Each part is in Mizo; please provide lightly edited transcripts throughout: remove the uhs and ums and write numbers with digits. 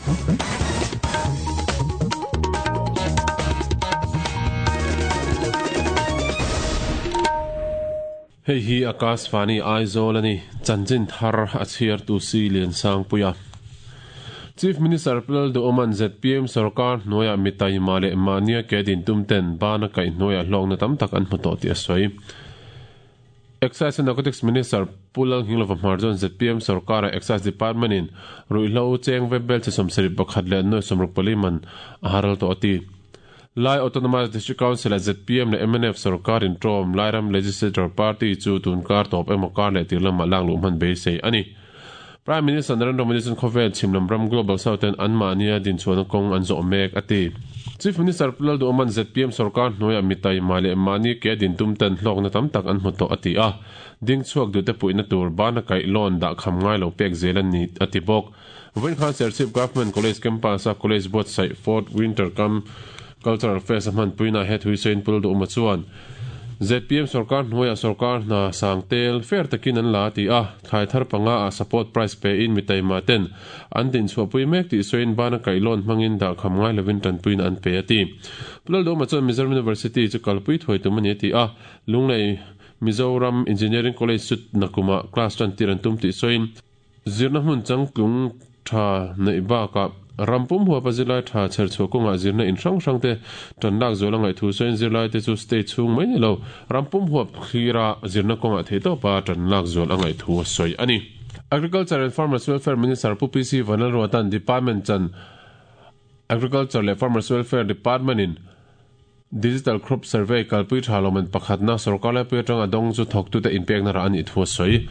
Hei hi Akashvani Aizawl a ni, chanchin thar a chhiartu Si Liansangpuia. Chief Minister Pu Lalduhawma'n zpm sorkar hnuaiah mi taima leh mahnia ke din tum ten bana kaih hnuaiah hlawkna tam tak an hmu tawh tih a sawi. Excise and Narcotics Minister Pu Lalnghinglova Hmar chuan zpm sorkara Excise Department in ruihhlo cheng ve bel che 71 leh nuai 64 man a haral tawh a ti. Lai Autonomous District Council ah zpm leh mnf sorkar in ṭawm Lairam Legislature Party chu tun kar tawp emaw kar leh tir lamah lak luh hman beisei a ni. Prime Minister Narendra Modi chuan khawvel chhim lam ram Global South ten anmahnia dinchhuahna kawng an zawh mek a ti. Chief Minister Pu Lalduhawma'n zpm sorkar hnuaiah mi taima leh mahni ke din tum ten hlawkna tam tak an hmu tawh a ti a, ding chhuak duhte puihna tur bana kaih loan dah kham ngai lo pek zel a ni a ti bawk. Vawiin khan Serchhip Government College campus-a college buatsaih Fourth Winter Camp Cultural Fest a hmanpuinaah he thuisawiin Pu Lalduhawma chuan zpm sorkar hnuaiah sorkar hna sang tel fair takin an la a ti a, thlai thar panga ah support price pein mi taima ten an dinchhuahpui mek tih sawiin bana kaihlawn hmangin dahkham ngai lovin tanpuina an pe a ti. Pu Lalduhawma chuan Mizoram University chu kalpui thuai tum a ni a ti a, Lunglei Mizoram Engineering College chu nakumah class tan tir an tum tih sawiin, Zirna hmun changtlung tha neih bakah ram pum huapa zirlai tha chherchhuah kawngah zirna in hrang hrang te tan lak zual a ngaih thu sawiin zirlaite chu state chhung mai ni lo ram pum huap thlira zirna kawngah theihtawpa tan lak zual a ngaih thu a sawi a ni. Agriculture and Farmers Welfare Minister Pu PC Vanlalruata'n Department chan Agriculture leh Farmers Welfare Department in Digital Crop Survey kalpui tha lawmman pakhatna sorkar laipui atanga dawng chu thawktute inpekna rah a nih thu a sawi.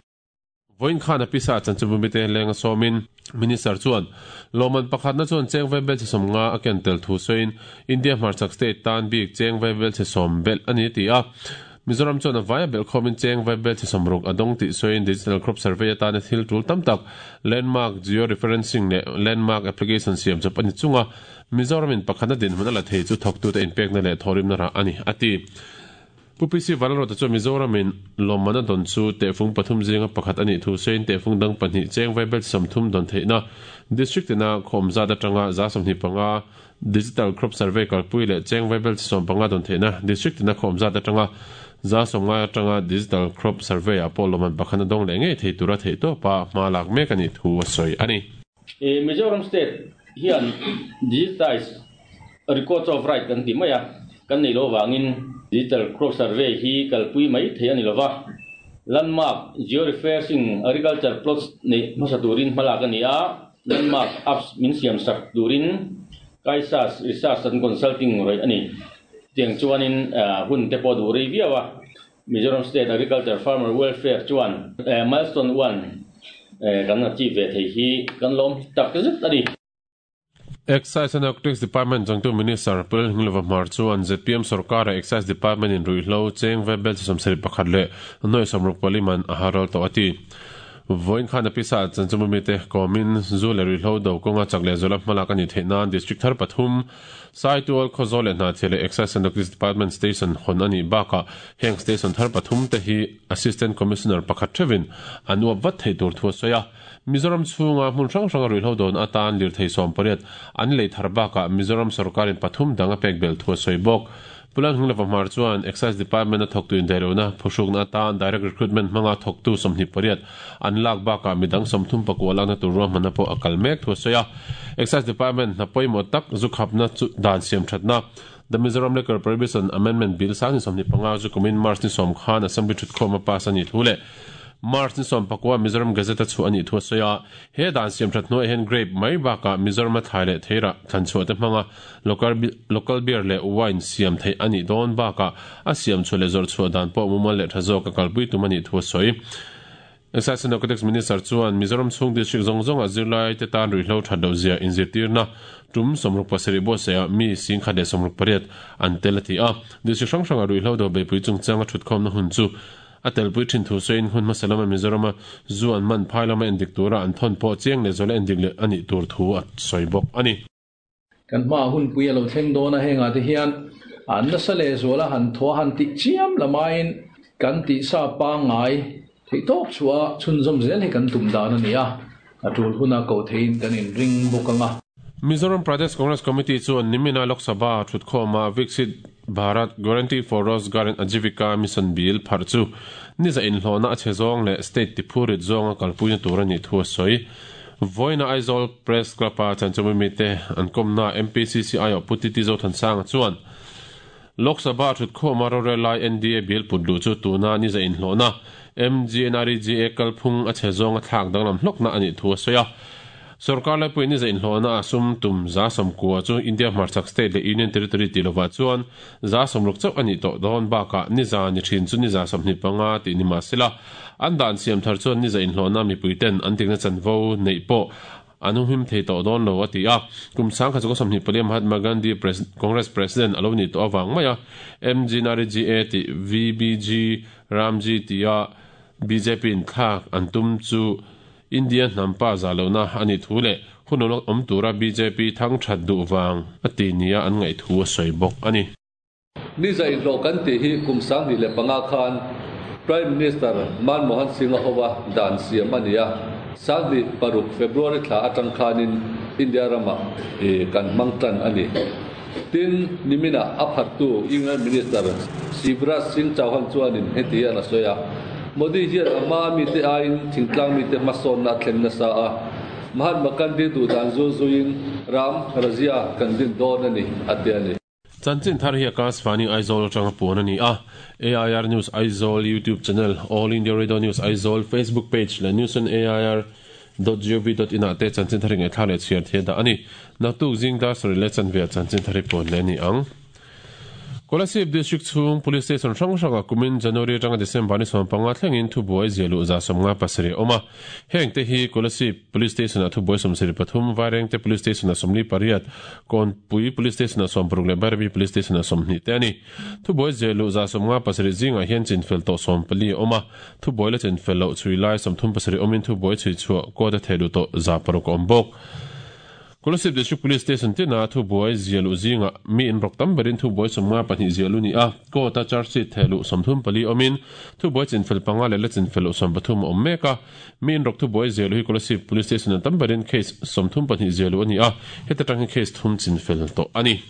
Vawiin khan a pisa chanchinbu mite lenga sawmin Minister chuan lawmman pakhatna chuan cheng vai bel chhe 50 a ken tel thu sawiin India hmarchhak state tan bik cheng vai bel chhe 10 belh a ni a ti a. Mizoram chuan a vaia belh khawmin cheng vai bel chhe 60 a dawng tih sawiin Digital Crop Survey atana thil tul tam tak Landmark Geo-referencing leh Landmark Application siam chawp a ni chunga Mizoramin pakhatna dinhmun a la thei chu thawktute inpekna leh thawhrimna rah a ni a ti. Pu PC Vanlalruata chuan Mizoramin lawmman a dawn chu tehfung pathum zinga pakhat a nih thu sawiin tehfung dang pahnih cheng vaibel 30 dawn theihna District tina khawm zat atanga 25 Digital Crop Survey kalpui leh cheng vaibel 15 dawn theihna District tina khawm zat atanga 90 atanga Digital Crop Survey ah pawh lawmman pakhat a dawng leh ngei thei tura theihtawpa hma lak mek a nih thu a sawi a ni. Mizoram State hian Digitized Records of Right kan ti mai a, kan neih loh avangin Digital Crop Survey hi kalpui mai thei a ni lova, Landmark Georeferencing Agriculture Plots neih hmasa turin hmalak a ni a, Landmark Apps min siamsak turin Kaisas Research and Consulting rawih a ni. Chutiang chuanin hun te pawh a duh rei viau a, Mizoram State Agriculture Farmer Welfare chuan Milestone One kan achieve ve thei hi kan lawm tak zet a ni. Excise and Narcotics Department changtu Minister Pu Lalhminglova Hmar chuan zpm sorkara Excise Department in ruihhlo cheng ve bel chi 71 leh nuai 64 man a haral tawh a ti. Vawiin khan a pisa chanchinbu mite kawmin zu leh ruihhlo do kawnga chak leh zuala hmalak a nih theih nan District thar pathum Saitual, Khawzawl leh Hnahthial leh Excise and Narcotics Department Station hawn a nih bakah heng station thar pathum te hi Assistant Commissioner pakhat theuhin an uap vat theih tur thu a sawi a. Mizoram chhunga hmun hrang hranga ruihhlo dawn atan lirthei 18 an lei thar bakah Mizoram sorkarin pathum dang a pek belh thu a sawi bawk. Pu Lalhunglova Hmar chuan Excise Department a thawktu indaihlohna phuhrukna atan Direct Recruitment hmanga thawktu 28 an lak bakah midang 34 lakna tur ruahmanna pawh a kal mek thu a sawi a. Excise Department hna pawimawh tak zu khapna chu dan siam thatna The Mizoram Liquor Prohibition Amendment Bill sang ni 25 zu kumin March ni 10 khan Assembly thutkhawm a pass a nih thu leh March ni 19 Mizoram Gazette a chhuah a nih thu a sawi a. He dan siam that hnuaiah hian grape mai bakah Mizoram a thlai leh theirah thlan chhuah te hmanga local beer leh wine siam theih a nih dawn bakah a siam chhuah leh zawrh chhuah dan pawh mumal leh tha zawk a kalpui tum a nih thu a sawi. Excise and Narcotics Minister chuan Mizoram chhung district zawng zawngah zirlai te tan ruihhlo that loh zia inzirtirna tum 67 buatsaihah mi 168 an tel a ti a. District hrang hrangah ruihhlo do beihpui chungchanga thutkhawmna hun chu a telpui thin thu sawiin hun hmasa lama Mizorama zu an man phai lama endik tura an thawn pawh chiang leh zuala endik leh a nih tur thu a sawi bawk a ni. Kan hmaah hunpui a lo thleng dawn a, hengah te hian nasa leh zuala han thaw a han tih chiam lamaiin kan tihsa pangngai theih tawp chhuah a chhunzawm zel hi kan tum dan a ni a, a tul huna koh theihin kan inring bawk ang a. Mizoram Pradesh Congress Committee chuan nimina Lok Sabha thutkhawma Viksit Bharat Guarantee for Rozgar and Ajivika Mission Bill pharh chu niza inhlawhna a chhe zawng leh state tiphurit zawnga kalpuina tur a nih thu a sawi. Vawiina Aizawl Press Club-a chanchawmi mite an kawmna MPCC aiawh Pu Titi Zothansanga chuan Lok Sabha thutkhawma rorel lai NDA bill put luh chu tuna niza inhlawhna MGNREGA kalphung a chhe zawnga thlak danglam hlawkna a nih thu a sawi a. Sorkar laipui niza inhlawhna a sum tum 90% chu India hmarchhak state leh Union Territory tih lovah chuan 60% chauh a nih tawh dawn bakah niza ni thin chu niza 25 tih ni mah sela an dan siam thar chuan niza inhlawhna mipuiten an dikna chanvo neih pawh an humhim thei tawh dawn lo a ti a. Kum 1924 Mahatma Gandhi Congress President a lo nih tawh avang mai a MGNREGA tih VBG Ramji tia bjp in thlak an tum chu India hnam pa zah lohna a nih thu leh hun lo awm tura bjp thang that duh vang a ti nia an ngaih thu a sawi bawk a ni. Niza inhlawh kan tih hi kum 2005 khan Prime Minister Manmohan Singh-a hova dan siam a ni a, 2006 February thla atang khanin India ramah kan hmang tan a ni. Tin, niminah a phartu Union Minister Shivraj Singh Chauhan chuanin heti hian a sawi a, Modi hian a hmaa mite aiin thingtlang mite hmasawnna a thlen nasa a, Mahatma Gandhi duhdan zul zuiin ram Rajya kan din dawn a ni, a ti a ni. Chanchin thar hi Akashvani Aizawl atanga puan a ni a, AIR News Aizawl YouTube channel, All India Radio News Aizawl Facebook page leh News on AIR dot gov dot in ah te chanchin thar hi ngaihthla leh chhiar thei a dah a ni. Naktuk zing dar sarih leh chanve ah chanchin thar hi puan leh a ni ang. Kolasib District chhung Police Station hrang hrangah kumin January atanga December ni 15 thlengin thubuai zia luh 57 a awm a. Heng te hi Kolasib Police Station ah thubuai 73, Vairengte Police Station ah 48, Kawnpui Police Station ah 60 leh Bairabi Police Station ah 20 te a ni. Thubuai zia luh 57 zingah hian chinfel tawh 14 a awm a. Thubuai la chinfel loh chhui lai 37 awmin thubuai chhui chhuah court a theh luh tawh 600 a awm bawk. Kolasib District Police Station tina thubuai zia luh zingah mi inrawk tam berin thubuai 52 zia lu ni a, court a charge sheet theh luh 34 awmin thubuai chinfel panga leh la chinfel loh 13 a awm mek a. Mi inrawk thubuai zia luh hi Kolasib Police Station ah tam berin case 32 zia luh a ni a, heta tang hi case thum chinfel tawh a ni.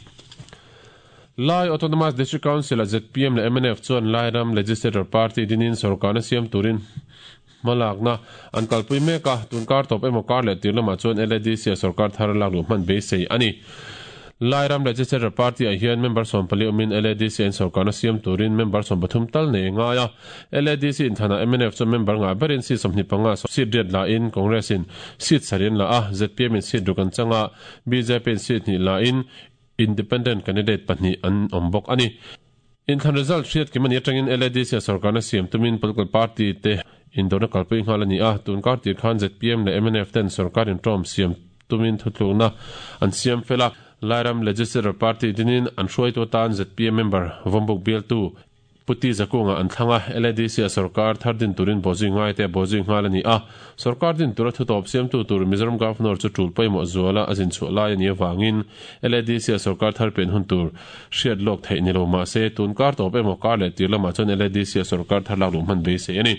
Lai Autonomous District Council-a zpm leh mnf chuan Lairam Legislature Party dinin sorkarna siam turin hmalakna an kalpui mek a, tun kar tawp emaw kar leh tir lamah chuan LADC-a sorkar thar lak luh hman beisei a ni. Lairam Legislature Party-ah hian member 14 awmin LADC-a in sorkarna siam turin member 13 tal nei a ngai a. LADC inthanah mnf chuan member ngah berin seat 25 seat riat la in Congress-in seat sarih an la a, zpm-in seat ruk an chang a, BJP-in seat hnih la in Independent candidate pahnih an awm bawk a ni. Inthlan result hriat kim a nih atangin LADC-a sorkarna siam tumin political party te indawrna kalpui nghal a ni a, tun kar tir khan zpm leh mnf ten sorkar inṭawm siam tumin thutlukna an siam fel a, Lairam Legislature Party dinin an hruaitu atan zpm member Vawmbuk bialtu Pu Ti Zakunga an thlang a, LADC-a sorkar thar din turin bawhzui ngaite a bawhzui nghal a ni a. Sorkar din tura thutawp siamtu tur Mizoram Governor chu tul pawimawh zuala a zin chhuah lai a nih avangin LADC-a sorkar thar pian hun tur hriat lawk theih ni lo mah se, tun kar tawp emaw kar leh tir lamah chuan LADC-a sorkar thar lak luh hman beisei a ni.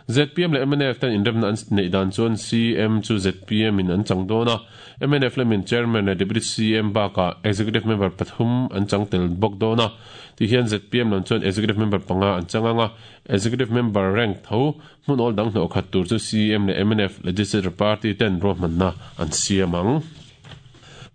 Zpm leh mnf ten inremna an neih dan chuan CM chu zpm in an chang dawn a, mnf lamin Chairman leh Deputy CM bakah Executive Member pathum an chang tel bawk dawn a. Ti hian zpm lam chuan Executive Member panga an chang ang a, Executive Member rank tho hmun awl dang hnawh khat tur chu CEM leh mnf Legislature Party ten ruahmanna an siam ang.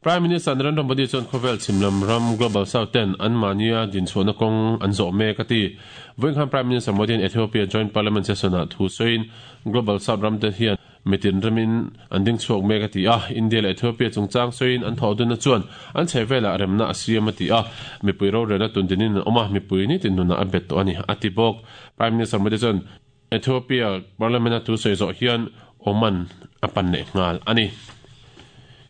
Prime Minister Narendra Modi chuan khawvel chhim lam ram Global South ten anmahnia dinchhuahna kawng an zawh mek a ti. Vawiin khan Prime Minister Modi hian Ethiopia Joint Parliament Session-ah thu sawiin Global South ram te hian Mitin ramin an ding chhuak mek a ti a, India leh Ethiopia chungchang sawiin an thawhdunna chuan an chhehvelah remna a siam a ti a, mipui rorelna tundinin an awm a, mipui nitin nunah a bet tawh a ni, a ti bawk. Prime Minister Modi chuan Ethiopia Parliament-a thu sawi zawh hian Oman a pan leh nghal a ni.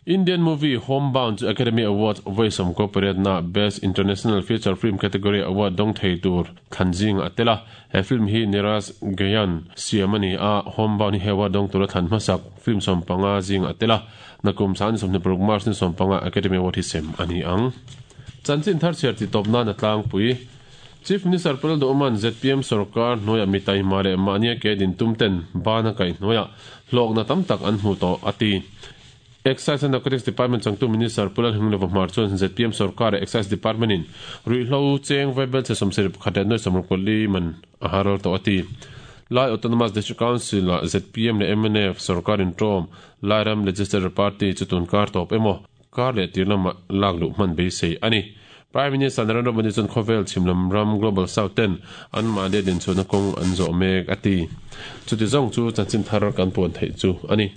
Indian movie Homebound chu Academy Awards vawi sawmkaw pariatna Best International Feature Film category award dawng thei tur thlan zingah a tel a. He film hi Neeraj Gayan siam a ni a, Homebound hi he award dawng tura thlan hmasak film 15 zingah a tel a. Nakum 2026 March ni 15 Academy Award hi sem a ni ang. Chanchin thar chhiar tih tawp nan a tlangpui. Chief Minister Pul Duhman zpm sorkar hnuaiah mi taima leh mahnia ke din tum ten ban a kaih hnuaiah hlawkna tam tak an hmu tawh a ti. Excise and Narcotics Department changtu Minister Pu Lalhminglova Hmar chuan zpm sorkar leh Excise Department in ruihhlo cheng vaibelchhe 71 leh 64 man a haral tawh a ti. Lai Autonomous District Council ah zpm leh mnf sorkar inṭawm Lairam Legislature Party chu tun kar tawp emaw kar leh tir lamah lak luh hman beisei a ni. Prime Minister Narendra Modi chuan khawvel chhimlam ram Global South ten anmahni a dinchhuahna kawng an zawh mek a ti. Chuti zawng chu chanchin thar kan puan theih chu a ni.